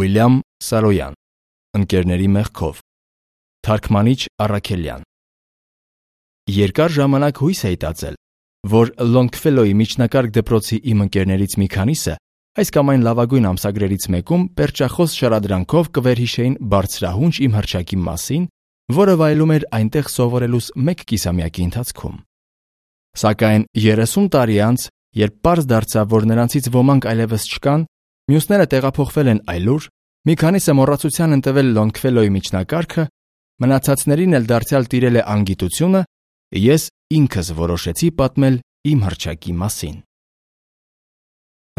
Ուիլյամ Սարոյան, ընկերների մեղքով, թարգմանիչ Առաքելյան։ Երկար ժամանակ հույս էի տածել, որ Լոնգֆելոյի միջնակարգ դպրոցի իմ ընկերներից մի քանիսը այս կամ այն լավագույն ամսագրերից մեկում պերճախոս շարադրանքով կվերհիշեին բարձրահունչ իմ հռչակի մասին, որը վայելում էր այնտեղ սովորելուս մեկ կիսամյակի ընթացքում։ Սակայն 30 տարի անց, երբ պարզ դարձավ, որ նրանցից ոմանք այլևս չկան, մյուսները տեղափոխվել են այլուր, մի քանիսը մոռացության են տվել Լոնգֆելոյի միջնակարգը, մնացածներին էլ դարձյալ տիրել է անգիտությունը, ես ինքս որոշեցի պատմել իմ հռչակի մասին։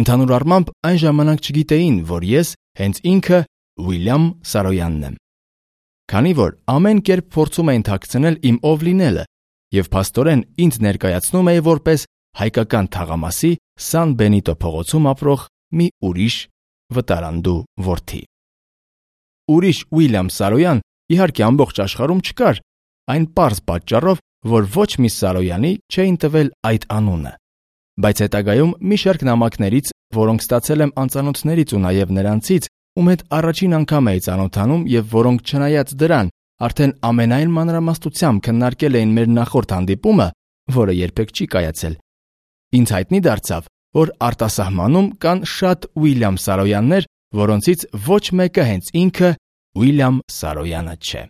Ընդհանուր առմամբ այն ժամանակ չգիտեին, որ ես հենց ինքը Ուիլյամ Սարոյանն եմ։ Քանի որ ամեն կերպ փորձում էին թաքցնել իմ ով լինելը եւ փաստորեն ինձ ներկայացնում էի որպես հայկական թաղամասի Սան Բենիտո փողոցում ապրող մի ուրիշ վտարանդու որդի։ Ուրիշ Ուիլյամ Սարոյան իհարկե ամբողջ աշխարհում չկար, այն պարզ պատճառով, որ ոչ մի Սարոյանի չէին տվել այդ անունը, բայց հետագայում մի շարք նամակներից, որոնք ստացել եմ անծանոթներից ու նաև նրանցից, ում հետ առաջին անգամ էի ծանոթանում եւ որոնք չնայած դրան արդեն ամենայն մանրամասնությամբ քննարկել էին մեր նախորդ հանդիպումը, որը երբեք չի կայացել, ինձ հայտնի դարձավ, որ արտասահմանում կան շատ Ուիլյամ Սարոյաններ, որոնցից ոչ մեկը հենց ինքը Ուիլյամ Սարոյանը չէ։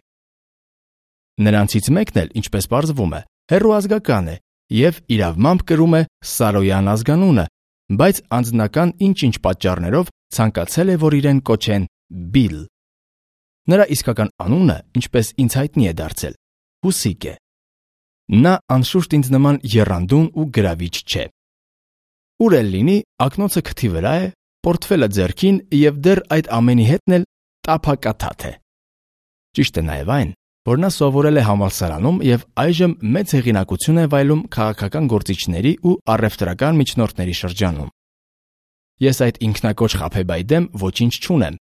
Նրանցից մեկն էլ, ինչպես պարզվում է, հեռու ազգական է եւ իրավմամբ կրում է Սարոյան ազգանունը, բայց անձնական ինչ-ինչ պատճառներով ցանկացել է, որ իրեն կոչեն Բիլ։ Նրա իսկական անունը, ինչպես ինձ հայտնի է դարձել, Հուսիկ է։ Նա անշուշտ ինձ նման եռանդուն ու գրավիչ չէ։ Ուր էլ լինի, ակնոցը քթի վրա է, պորտֆելը ձեռքին եւ դեռ այդ ամենի հետն էլ տափակաթաթ է։ Ճիշտ է նաեւ այն, որ նա սովորել է համալսարանում եւ այժմ մեծ հեղինակություն է վայելում քաղաքական գործիչների ու առևտրական միջնորդների շրջանում։ Ես այդ ինքնակոչ խաբեբայի դեմ ոչինչ չունեմ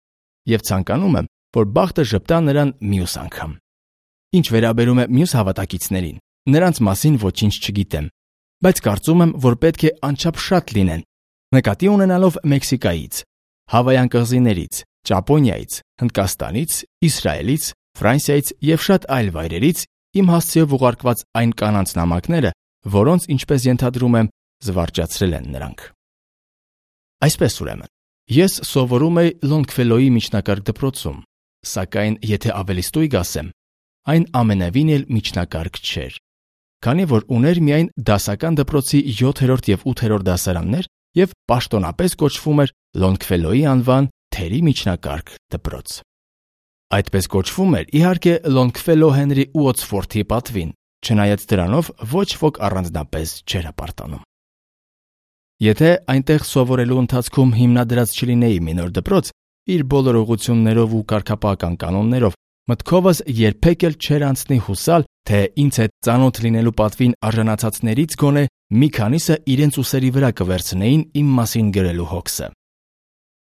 եւ ցանկանում եմ, որ բախտը ժպտա նրան մյուս անգամ։ Ինչ վերաբերում է մյուս հավատակիցներին, նրանց մասին ոչինչ չգիտեմ, բայց կարծում եմ, որ պետք է անչափ շատ լինեն, նկատի ունենալով Մեքսիկայից, Հավայան կղզիներից, Ճապոնիայից, Հնդկաստանից, Իսրայելից, Ֆրանսիայից եւ շատ այլ վայրերից իմ հասցեով ուղարկված այն կանանց նամակները, որոնց, ինչպես ենթադրում եմ, զվարճացրել են նրանք։ Այսպես ուրեմն, ես սովորում էի Լոնգֆելոյի միջնակարգ դպրոցում, սակայն եթե ավելի ստույգ ասեմ, այն ամենևին էլ միջնակարգ չէր, քանի որ ուներ միայն դասական դպրոցի 7-րդ եւ 8-րդ դասարաններ եւ պաշտոնապես կոչվում էր Լոնգֆելոյի անվան թերի միջնակարգ դպրոց։ Այդպես կոչվում էր, իհարկե, Լոնգֆելո Հենրի Ուոտսֆորդի պատվին, չնայած դրանով ոչ ոք առանձնապես չէր հպարտանում։ Եթե այնտեղ սովորելու ընթացքում հիմնադրած չլինեի մի նոր դպրոց, իր բոլոր ուղղություններով ու կարգապահական կանոններով, մտքովս երբեք էլ չէր անցնի հուսալ, թե ինձ հետ ծանոթ լինելու պատվին արժանացածներից գոնե մի քանիսը իրենց ուսերի վրա կվերցնեին իմ մասին գրելու հոգսը։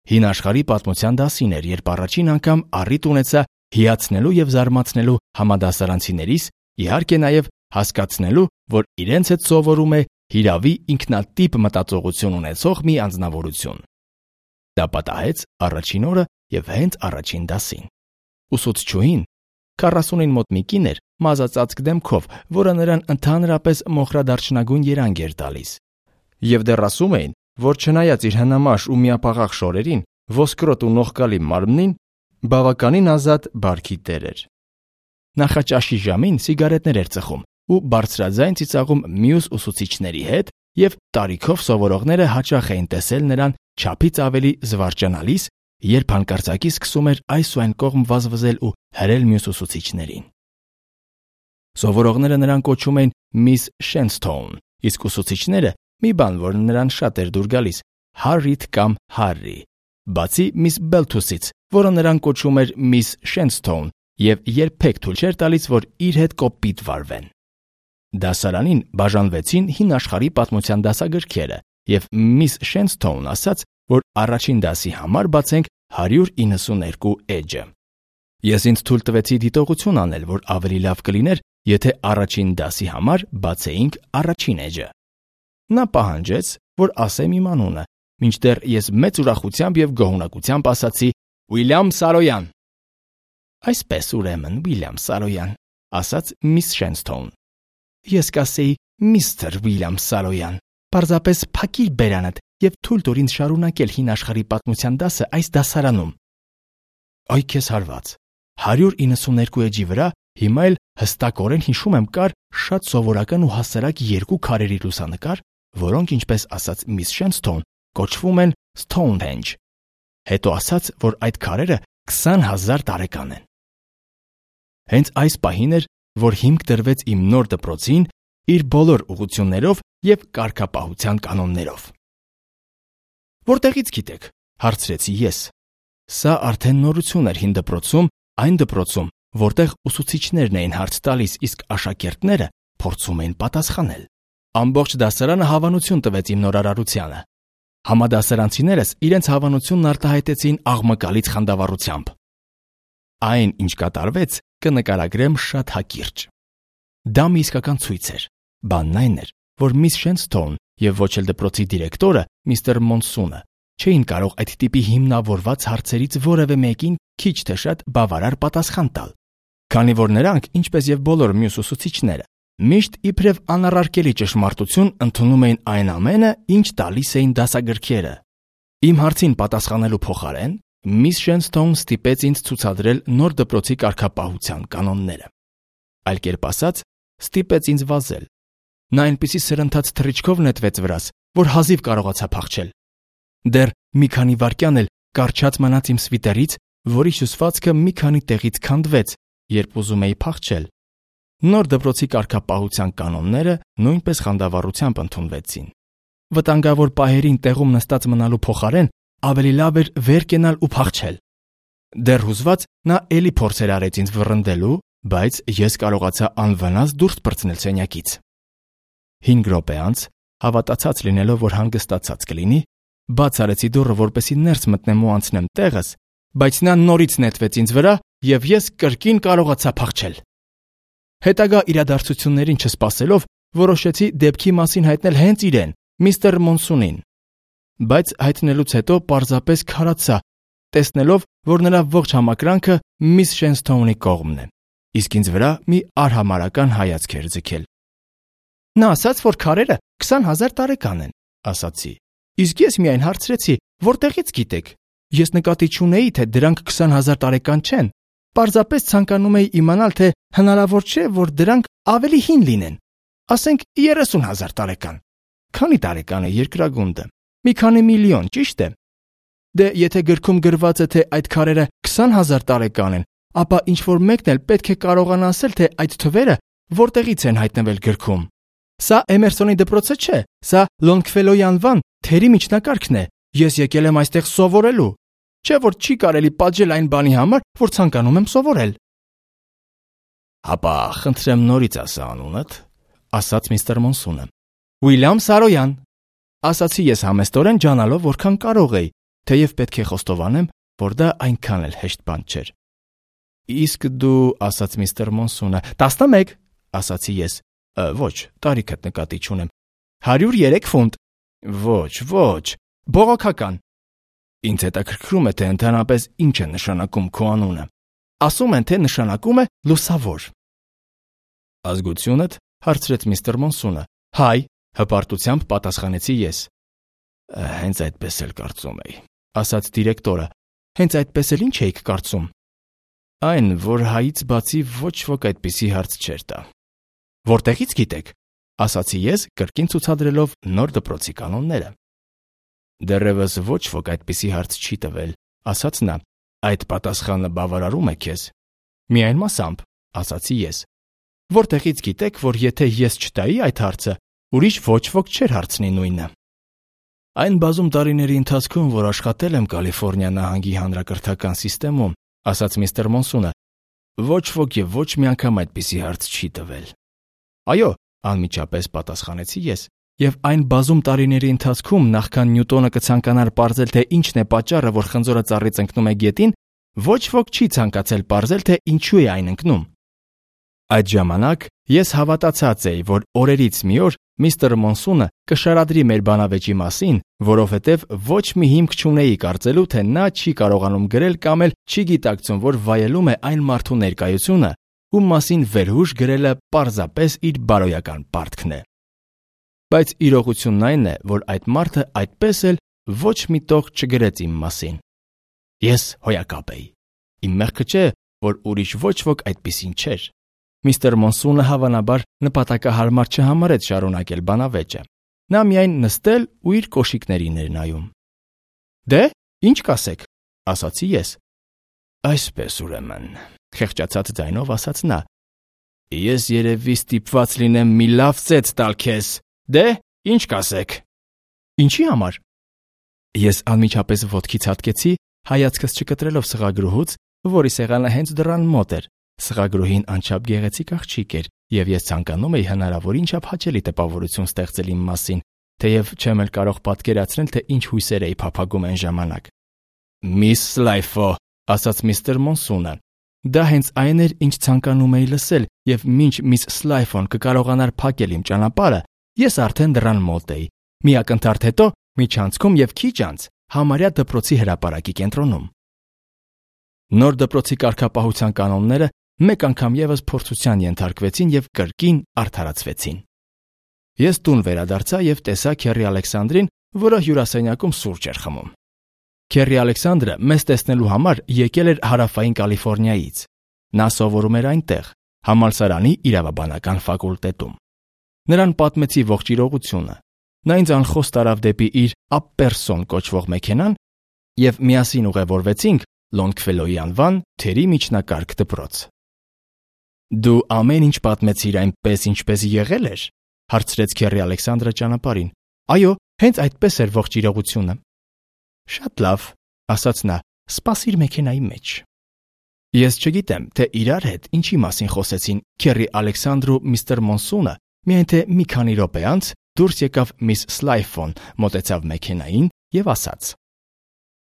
Հին աշխարհի պատմության դասին էր, երբ առաջին անգամ առիթ ունեցա հիացնելու եւ զարմացնելու համադասարանցիներիս, իհարկե նաեւ հասկացնելու, որ իրենց հետ սովորում է հիրավի ինքնատիպ մտածողություն ունեցող մի անձնավորություն։ Դա պատահեց առաջին օրը եւ հենց առաջին դասին։ Ուսուցչուհին 40-ին մոտ մի կին էր, մազածածկ դեմքով, որը նրան ընդհանրապես մոխրադարչնագույն երանգ էր տալիս։ Եվ դեռ ասում էին, որ չնայած իր հնամաշ ու միապաղաղ շորերին, ոսկրոտ ու նողկալի մարմնին, բավականին ազատ բարքի տեր էր։ Նախաճաշի ժամին սիգարետներ էր ծխում ու բարձրաձայն ծիծաղում մյուս ուսուցիչների հետ, եւ տարիքով սովորողները հաճախ էին տեսել նրան չափից ավելի զվարճանալիս, երբ հանկարծակի սկսում էր այս ու այն կողմ վազվզել ու հրել մյուս ուսուցիչներին։ Սովորողները նրան կոչում էին Միս Շենսթոուն, իսկ ուսուցիչները մի բան, որ նրան շատ էր դուր գալիս, Հարրիթ կամ Հարրի, բացի Միս Բելթուսից, որը նրան կոչում էր Միս Շենսթոուն եւ երբեք թույլ չէր տալիս, որ իր հետ կոպիտ վարվեն։ Դասարանին բաժանվեցին հին աշխարհի պատմության դասագրքերը եւ Միս Շենսթոուն ասաց, որ առաջին դասի համար բացենք 192 էջը։ Ես ինձ թույլ տվեցի դիտողություն անել, որ ավելի լավ կլիներ, եթե առաջին դասի համար բացեինք առաջին էջը։ Նա պահանջեց, որ ասեմ իմ անունը, մինչդեռ ես մեծ ուրախությամբ եւ գոհունակությամբ ասացի Ուիլյամ Սարոյան։ Այսպես ուրեմն, Ուիլյամ Սարոյան, ասաց միս Շենսթոուն։ Ես կասեի միստր Ուիլյամ Սարոյան, պարզապես փակիր բերանդ եւ թույլ տուր ինձ շարունակել հին աշխարհի պատմության դասը այս դասարանում։ Այ քեզ հարված։ 192 էջի վրա հիմա էլ հստակորեն հիշում եմ կար շատ սովորական ու հասարակ երկու քարերի լուսանկար, որոնք ինչպես ասաց միս Շենսթոուն, կոչվում են Stonehenge։ Հետո ասաց, որ այդ քարերը 20,000 տարեկան են։ Հենց այս պահին էր, որ հիմք դրվեց իմ նոր դպրոցին իր բոլոր ուղղություններով եւ կարգապահության կանոններով։ Որտեղից գիտեք, հարցրեցի ես։ Սա արդեն նորություն էր հին դպրոցում, այն դպրոցում, որտեղ ուսուցիչներն էին հարց տալիս, իսկ աշակերտները փորձում էին պատասխանել։ Ամբողջ դասարանը հավանություն տվեց իմ նորարարությանը։ Համադասարանցիներս իրենց հավանությունն արտահայտեցին աղմկալից խանդավառությամբ։ Այն, ինչ կատարվեց, կնկարագրեմ շատ հակիրճ։ Դա մի իսկական ցույց էր։ Բանն այն էր, որ միս Շենսթոուն եւ ոչ էլ դպրոցի դիրեկտորը միստր Մոնսունը չէին կարող այդ տիպի հիմնավորված հարցերից որևէ մեկին քիչ թե շատ բավարար պատասխան տալ, քանի որ նրանք, ինչպես եւ բոլոր մյուս ուսուցիչները, միշտ իբրև անառարկելի ճշմարտություն ընդունում էին այն ամենը, ինչ տալիս էին դասագրքերը։ Իմ հարցին պատասխանելու փոխարեն միս Շենսթոուն ստիպեց ինձ ցուցադրել նոր դպրոցի կարգապահության կանոնները։ Այլ կերպ ասած, ստիպեց ինձ վազել։ Նա այնպիսի սրընթաց թռիչքով նետվեց վրաս, որ հազիվ կարողացա փախչել։ Դեռ մի քանի վայրկյան էլ կարճած մնաց իմ սվիտերից, որի հյուսվածքը մի քանի տեղից քանդվեց, երբ ուզում էի փախչել։ Նոր դպրոցի կարգապահության կանոնները նույնպես խանդավառությամբ ընդունվեցին։ Վտանգավոր պահերին տեղում նստած մնալու փոխարեն ավելի լավ էր վեր կենալ ու փախչել։ Դեռ հուզված նա էլի փորձեր արեց ինձ վռնդելու, բայց ես կարողացա անվնաս դուրս պրծնել սենյակից։ 5 րոպե անց, հավատացած լինելով, որ հանգստացած կլինի, բաց արեցի դուռը, որպեսզի ներս մտնեմ ու անցնեմ տեղս, բայց նա նորից նետվեց ինձ վրա եւ ես կրկին կարողացա փախչել։ Հետագա իրադարձություններին չսպասելով, որոշեցի դեպքի մասին հայտնել հենց իրեն, միստր Մոնսունին։ Բայց հայտնելուց հետո պարզապես քարացա, տեսնելով, որ նրա ողջ համակրանքը միս Շենսթոունի կողմն է, իսկ ինձ վրա մի արհամարհական հայացք էր ձգել։ Նա ասաց, որ քարերը 20,000 տարեկան են, ասացի։ Իսկ ես միայն հարցրեցի, որտեղից գիտեք։ Ես նկատի չունեի, թե դրանք 20,000 տարեկան չեն։ Պարզապես ցանկանում էի իմանալ, թե հնարավոր չէ, որ դրանք ավելի հին լինեն։ Ասենք 30,000 տարեկան։ Քանի տարեկան է երկրագունդը։ Մի քանի միլիոն, ճիշտ է։ Դե եթե գրքում գրված է, թե այդ քարերը 20,000 տարեկան են, ապա ինչ որ մեկն էլ պետք է կարողանա ասել, թե այդ թվերը որտեղից են հայտնվել գրքում։ Սա Էմերսոնի դպրոցը չէ, սա Լոնգֆելոյի անվան թերի միջնակարգն է։ Ես եկել եմ այստեղ սովորելու։ Չէ որ չի կարելի պատժել այն բանի համար, որ ցանկանում եմ սովորել։ Ապա խնդրեմ նորից ասա անունդ, ասաց միստր Մոնսունը։ Ուիլյամ Սարոյան, ասացի ես համեստորեն ջանալով, որքան կարող էի, թեև պետք է խոստովանեմ, որ դա այնքան էլ հեշտ բան չէր։ Իսկ դու, ասաց միստր Մոնսունը, 11, ասացի ես։ Ոչ, տարիքդ նկատի չունեմ։ 103 ֆունտ։ Ոչ, բողոքական։ Ինձ հետաքրքրում է, թե ընդհանրապես ինչ է նշանակում քո անունը։ Ասում են, թե նշանակում է լուսավոր։ Ազգությունդ, հարցրեց միստր Մոնսունը։ Հայ, հպարտությամբ պատասխանեցի ես։ Հենց այդպես էլ կարծում էի, ասաց դիրեկտորը։ Հենց այդպես էլ ինչ էիք կարծում։ Այն, որ հայից բացի ոչ ոք այդպիսի հարց չէր տա։ Որտեղից գիտեք, ասացի ես, կրկին ցուցադրելով նոր դպրոցի կանոնները։ Դեռևս ոչ ոք այդպիսի հարց չի տվել, ասաց նա։ Այդ պատասխանը բավարարում է քեզ։ Միայն մասամբ, ասացի ես։ Որտեղից գիտեք, որ եթե ես չտայի այդ հարցը, ուրիշ ոչ ոք չէր հարցնի նույնը։ Այն բազում տարիների ընթացքում, որ աշխատել եմ Կալիֆոռնիա նահանգի հանրակրթական համակարգում, ասաց միստր Մոնսունը, ոչ ոք եւ ոչ մի անգամ այդպիսի հարց չի տվել։ Այո, անմիջապես պատասխանեցի ես, եւ այն բազում տարիների ընթացքում, նախքան Նյուտոնը կցանկանար ողջել, թե ինչն է պատճառը, որ խնձորը ծառից ընկնում է գետին, ոչ ոք չի ցանկացել ողջել, թե ինչու է այն ընկնում։ Այդ ժամանակ ես հավատացած էի, որ օրերից մի օր Միստր Մոնսունը կշարադրի մեր բանավեճի մասին, որովհետև ոչ մի հիմք չունեի կարծելու, թե նա չի կարողանում գրել կամ էլ չի գիտակցում, որ վայելում է այն մարդու ներկայությունը, ում մասին վերհուշ գրելը պարզապես իր բարոյական պարտքն է։ Բայց իրողությունն այն է, որ այդ մարդը այդպես էլ ոչ մի տող չգրեց իմ մասին։ Ես հոյակապ էի։ Իմ մեղքը չէ, որ ուրիշ ոչ ոք այդպիսին չէր։ Միստր Մոնսունը հավանաբար նպատակահարմար չհամարեց շարունակել բանավեճը։ Նա միայն նստել ու իր կոշիկներին էր նայում։ Դե, ինչ կասեք, ասացի ես։ Այսպես ուրեմն, խեղճացած ձայնով ասաց նա։ Ես երևի ստիպված լինեմ մի լավ ծեծ տալ քեզ։ Դե, ինչ կասեք։ Ինչի համար։ Ես անմիջապես ոտքից հատկեցի, հայացքս չկտրելով սղագրուհուց, որի սեղանը հենց դռան մոտ էր։ Սղագրուհին անչափ գեղեցիկ աղջիկ էր, եւ ես ցանկանում էի հնարավորին չափ հաճելի տպավորություն ստեղծել իմ մասին, թեև չեմ էլ կարող պատկերացնել, թե ինչ հույսեր էի փափագում այն ժամանակ։ Միս Սլայֆո, ասաց միստր Մոնսունը։ Դա հենց այն էր, ինչ ցանկանում էի լսել, եւ մինչ միս Սլայֆոն կկարողանար փակել իմ ճանապարհը, ես արդեն դռան մոտ էի։ Մի ակնթարթ հետո, միջանցքում եւ քիչ անց, համարյա դպրոցի հրապարակի կենտրոնում։ Նոր դպրոցի կարգապահության կանոնները մեկ անգամ եւս փորձության ենթարկվեցին եւ կրկին արդարացվեցին։ Ես տուն վերադարձա եւ տեսա Քերի Ալեքսանդրին, որը հյուրասենյակում սուրճ էր խմում։ Քերի Ալեքսանդրը մեզ տեսնելու համար եկել էր Հարավային Կալիֆոռնիայից։ Նա սովորում էր այնտեղ, համալսարանի իրավաբանական ֆակուլտետում։ Նրան պատմեցի ողջ իրողությունը։ Նա ինձ անխոս տարավ դեպի իր Ապպերսոն կոչվող մեքենան եւ միասին ուղևորվեցինք Լոնգֆելոյի անվան թերի միջնակարգ դպրոց։ Դու ամեն ինչ պատմեցիր այնպես, ինչպես եղել էր, հարցրեց Քերի Ալեքսանդրը ճանապարհին։ Այո, հենց այդպես էր ողջ իրողությունը։ Շատ լավ, ասաց նա, սպասիր մեքենայի մեջ։ Ես չգիտեմ, թե իրար հետ ինչի մասին խոսեցին Քերի Ալեքսանդրը ու միստր Մոնսունը, միայն թե մի քանի րոպե անց դուրս եկավ միս Սլայֆոն, մոտեցավ մեքենային եւ ասաց.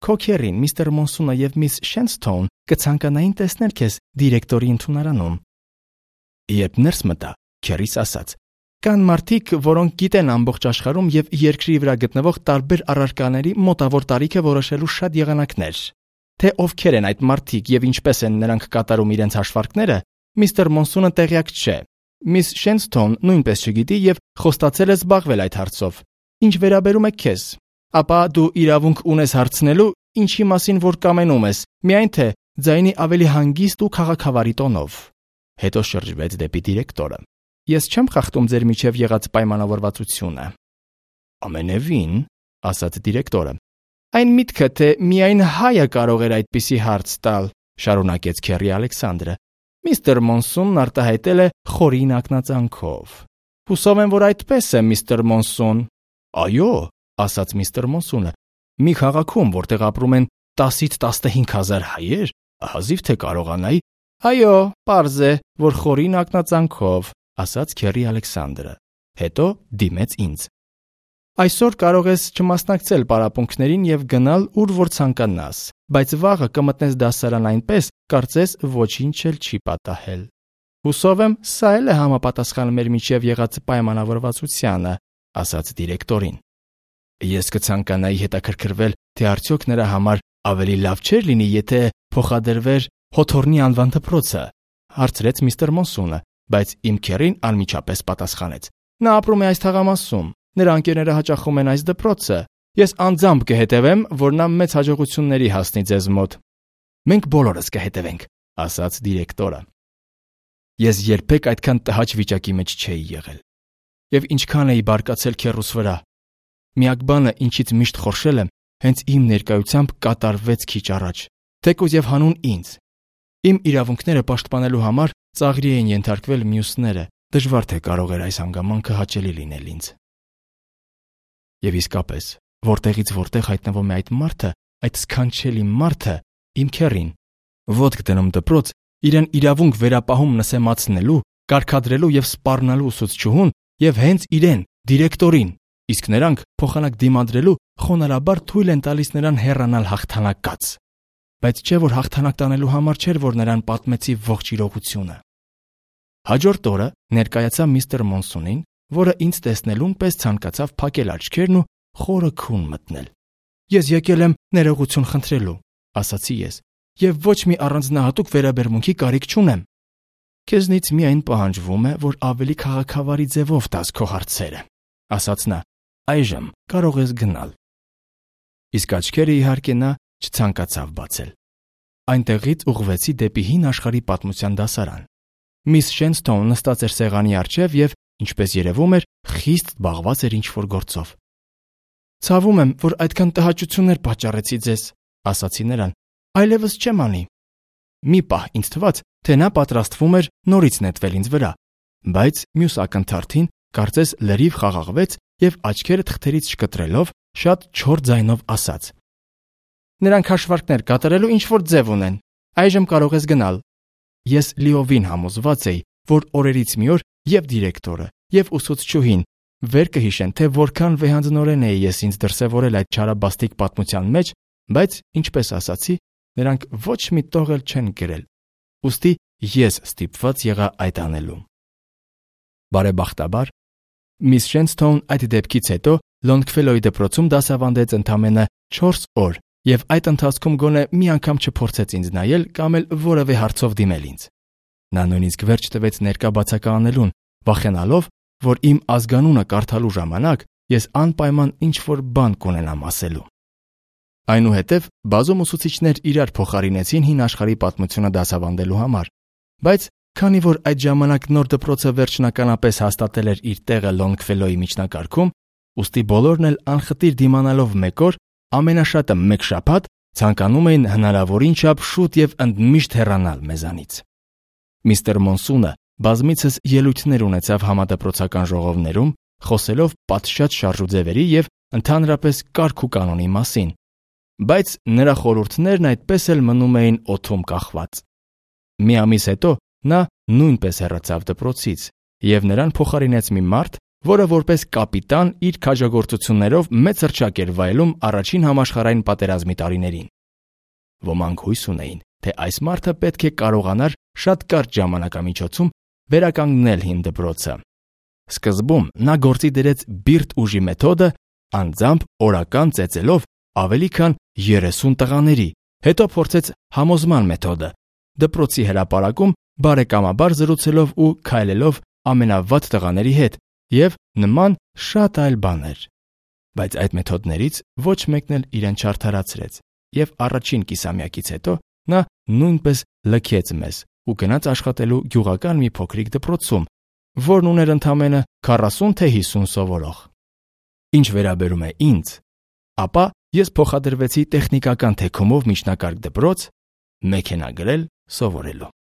Քո Քերին, միստր Մոնսունը եւ միս Շենսթոուն կցանկանային տեսնել քեզ դիրեկտորի ընդունարանում։ Երբ ներս մտա, Քերիս ասաց. Կան մարդիկ, որոնք գիտեն ամբողջ աշխարհում եւ երկրի վրա գտնվող տարբեր առարկաների մոտավոր տարիքը որոշելու շատ եղանակներ։ Թե ովքեր են այդ մարդիկ եւ ինչպես են նրանք կատարում իրենց հաշվարկները, միստր Մոնսունը տեղյակ չէ։ Միս Շենսթոուն նույնպես չգիտի եւ խոստացել է զբաղվել այդ հարցով։ Ինչ վերաբերում է քեզ, ապա դու իրավունք ունես հարցնելու, ինչի մասին որ կամենում ես, միայն թե ձայնի ավելի հանգիստ ու քաղաքավարի տոնով։ Հետո շրջվեց դեպի դիրեկտորը։ Ես չեմ խախտում ձեր միջև եղած պայմանավորվածությունը։ Ամենևին, ասաց դիրեկտորը։ Այն միտքը, թե միայն հայը կարող էր այդպիսի հարց տալ, շարունակեց Քերի Ալեքսանդրը։ Միստր Մոնսունն արտահայտել է խորին ակնածանքով։ Հուսով եմ, որ այդպես է, միստր Մոնսուն։ Այո, ասաց միստր Մոնսունը։ Մի քաղաքում, որտեղ ապրում են 10-ից 15,000 հայեր, հազիվ թե կարողանայի։ Այո, պարզ է, որ խորին ակնածանքով, ասաց Քերի Ալեքսանդրը։ Հետո դիմեց ինձ։ Այսօր կարող ես չմասնակցել պարապմունքներին եւ գնալ ուր որ ցանկանաս, բայց վաղը կմտնես դասարան այնպես, կարծես ոչինչ էլ չի պատահել։ Հուսով եմ, սա էլ է համապատասխան մեր միջև եղած պայմանավորվածությանը, ասաց դիրեկտորին։ Ես կցանկանայի հետաքրքրվել, թե արդյոք նրա համար ավելի լավ չէր լինի, եթե փոխադրվեր Հոթորնի անվան դպրոցը, հարցրեց միստր Մոնսունը, բայց իմ Քերին անմիջապես պատասխանեց. Նա ապրում է այս թաղամասում, նրա ընկերները հաճախում են այս դպրոցը։ Ես անձամբ կհետևեմ, որ նա մեծ հաջողությունների հասնի ձեզ մոտ։ Մենք բոլորս կհետևենք, ասաց դիրեկտորը։ Ես երբեք այդքան տհաճ վիճակի մեջ չէի եղել։ Եվ ինչքան էի բարկացել քեռուս վրա։ Միակ բանը, ինչից միշտ խորշել եմ, հենց իմ ներկայությամբ կատարվեց քիչ առաջ, թեկուզ եւ հանուն ինձ։ Իմ իրավունքները պաշտպանելու համար ծաղրի էին ենթարկվել մյուսները, դժվար թե կարող էր այս հանգամանքը հաճելի լինել ինձ։ Եվ իսկապես, որտեղից որտեղ հայտնվում է այդ մարդը, այդ սքանչելի մարդը, իմ Քերին, ոտք դնում դպրոց, իրեն իրավունք վերապահում նսեմացնելու, կարգադրելու եւ սպառնալու ուսուցչուհուն եւ հենց իրեն, դիրեկտորին, իսկ նրանք փոխանակ դիմադրելու խոնարհաբար թույլ են տալիս նրան հեռանալ հաղթանակած։ Բայց չէ որ հաղթանակ տանելու համար չէր, որ նրան պատմեցի ողջ իրողությունը։ Հաջորդ օրը ներկայացա միստր Մոնսունին, որը ինձ տեսնելուն պես ցանկացավ փակել աչքերն ու խորը քուն մտնել։ Ես եկել եմ ներողություն խնդրելու, ասացի ես, եւ ոչ մի առանձնահատուկ վերաբերմունքի կարիք չունեմ։ Քեզնից միայն պահանջվում է, որ ավելի քաղաքավարի ձևով տաս քո հարցերը, ասաց նա։ Այժմ կարող ես գնալ։ Իսկ աչքերը իհարկե նա չցանկացավ բացել։ Այնտեղից ուղղվեցի դեպի հին աշխարհի պատմության դասարան։ Միս Շենսթոուն նստած էր սեղանի առջև եւ, ինչպես երևում էր, խիստ զբաղված էր ինչ-որ գործով։ Ցավում եմ, որ այդքան տհաճություններ պատճառեցի ձեզ, ասացի նրան, այլևս չեմ անի։ Մի պահ ինձ թվաց, թե նա պատրաստվում էր նորից նետվել ինձ վրա, բայց մյուս ակնթարթին կարծես լրիվ խաղաղվեց եւ աչքերը թղթերից շկտրելով շատ չոր ձայնով ասաց. Նրանք հաշվարկներ կատարելու ինչ-որ ձև ունեն։ Այժմ կարող ես գնալ։ Ես լիովին համոզված էի, որ օրերից մի օր եւ դիրեկտորը, եւ ուսուցչուհին վեր կհիշեն, թե որքան վեհանձնորեն էի ես ինձ դրսևորել այդ չարաբաստիկ պատմության մեջ, բայց, ինչպես ասացի, նրանք ոչ մի տող էլ չեն գրել։ Ուստի ես ստիպված եղա այդ անելու։ Բարեբախտաբար, Միս Շենսթոուն այդ դեպքից հետո Լոնգֆելոյի դպրոցում դասավանդեց ընդամենը 4 օր եւ այդ ընթացքում գոնե մի անգամ չփորձեց ինձ նայել կամ էլ որևէ հարցով դիմել ինձ։ Նա նույնիսկ վերջ տվեց ներկա բացականելուն, վախենալով, որ իմ ազգանունը կարդալու ժամանակ ես անպայման ինչ-որ բան կունենամ ասելու։ Այնուհետև բազում ուսուցիչներ իրար փոխարինեցին հին աշխարհի պատմությունը դասավանդելու համար, բայց քանի որ այդ ժամանակ նոր դպրոցը վերջնականապես հաստատել էր իր տեղը Լոնգֆելոյի միջնակարգում, ուստի բոլորն էլ անխտիր դիմանալով մեկ օր, ամենաշատը մեկ շաբաթ, ցանկանում էին հնարավորին չափ շուտ եւ ընդմիշտ հեռանալ մեզանից։ Միստր Մոնսունը բազմիցս ելույթներ ունեցավ համադպրոցական ժողովներում, խոսելով պատշաճ շարժուձևերի եւ ընդհանրապես կարգ ու կանոնի մասին, բայց նրա խորհուրդներն այդպես էլ մնում էին օդում կախված։ Մի ամիս հետո նա նույնպես հեռացավ դպրոցից եւ նրան փոխարինեց մի մարդ, որը որպես կապիտան իր քաջագործություններով մեծ հռչակ էր վայելում առաջին համաշխարհային պատերազմի տարիներին։ Ոմանք հույս ունեին, թե այս մարդը պետք է կարողանար շատ կարճ ժամանակամիջոցում վերականգնել հին դպրոցը։ Սկզբում նա գործի դրեց բիրտ ուժի մեթոդը, անձամբ օրական ծեծելով ավելի քան 30 տղաների, հետո փորձեց համոզման մեթոդը, դպրոցի հրապարակում բարեկամաբար զրուցելով ու քայլելով ամենավատ տղաների հետ եւ նման շատ այլ բաներ։ Բայց այդ մեթոդներից ոչ մեկն էլ իրեն չարդարացրեց եւ առաջին կիսամյակից հետո նա նույնպես լքեց մեզ ու գնաց աշխատելու գյուղական մի փոքրիկ դպրոցում, որն ուներ ընդամենը 40 թե 50 սովորող։ Ինչ վերաբերում է ինձ, ապա ես փոխադրվեցի տեխնիկական թեքումով միջնակարգ դպրոց մեքենա գրել սովորելու։